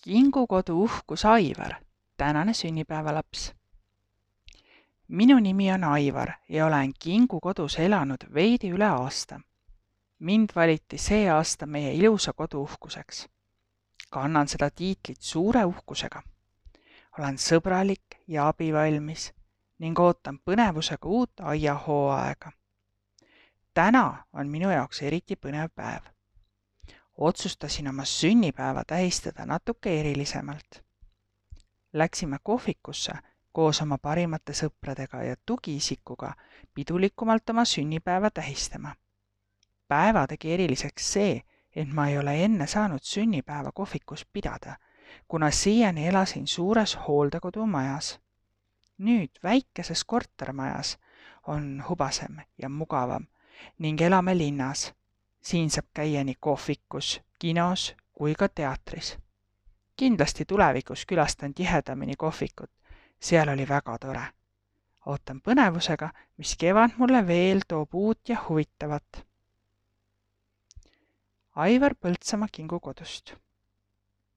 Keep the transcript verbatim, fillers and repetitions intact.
Kingukodu uhkus Aivar, tänane sünnipäevalaps. Minu nimi on Aivar ja olen Kingukodus elanud veidi üle aasta. Mind valiti see aasta meie ilusa kodu uhkuseks. Kannan seda tiitlit suure uhkusega. Olen sõbralik ja abivalmis ning ootan põnevusega uut aiahooaega. Täna on minu jaoks eriti põnev päev. Otsustasin oma sünnipäeva tähistada natuke erilisemalt. Läksime kohvikusse koos oma parimate sõpradega ja tugiisikuga pidulikumalt oma sünnipäeva tähistama. Päeva tegi eriliseks see, et ma ei ole enne saanud sünnipäeva kohvikus pidada, kuna siiani elasin suures hooldekodumajas. Nüüd väikeses kortermajas on hubasem ja mugavam ning elame linnas. Siin saab käia nii kohvikus, kinos kui ka teatris. Kindlasti tulevikus külastan tihedamini kohvikut, seal oli väga tore. Ootan põnevusega, mis kevad mulle veel toob uut ja huvitavat. Aivar Põltsamaa Kingukodust.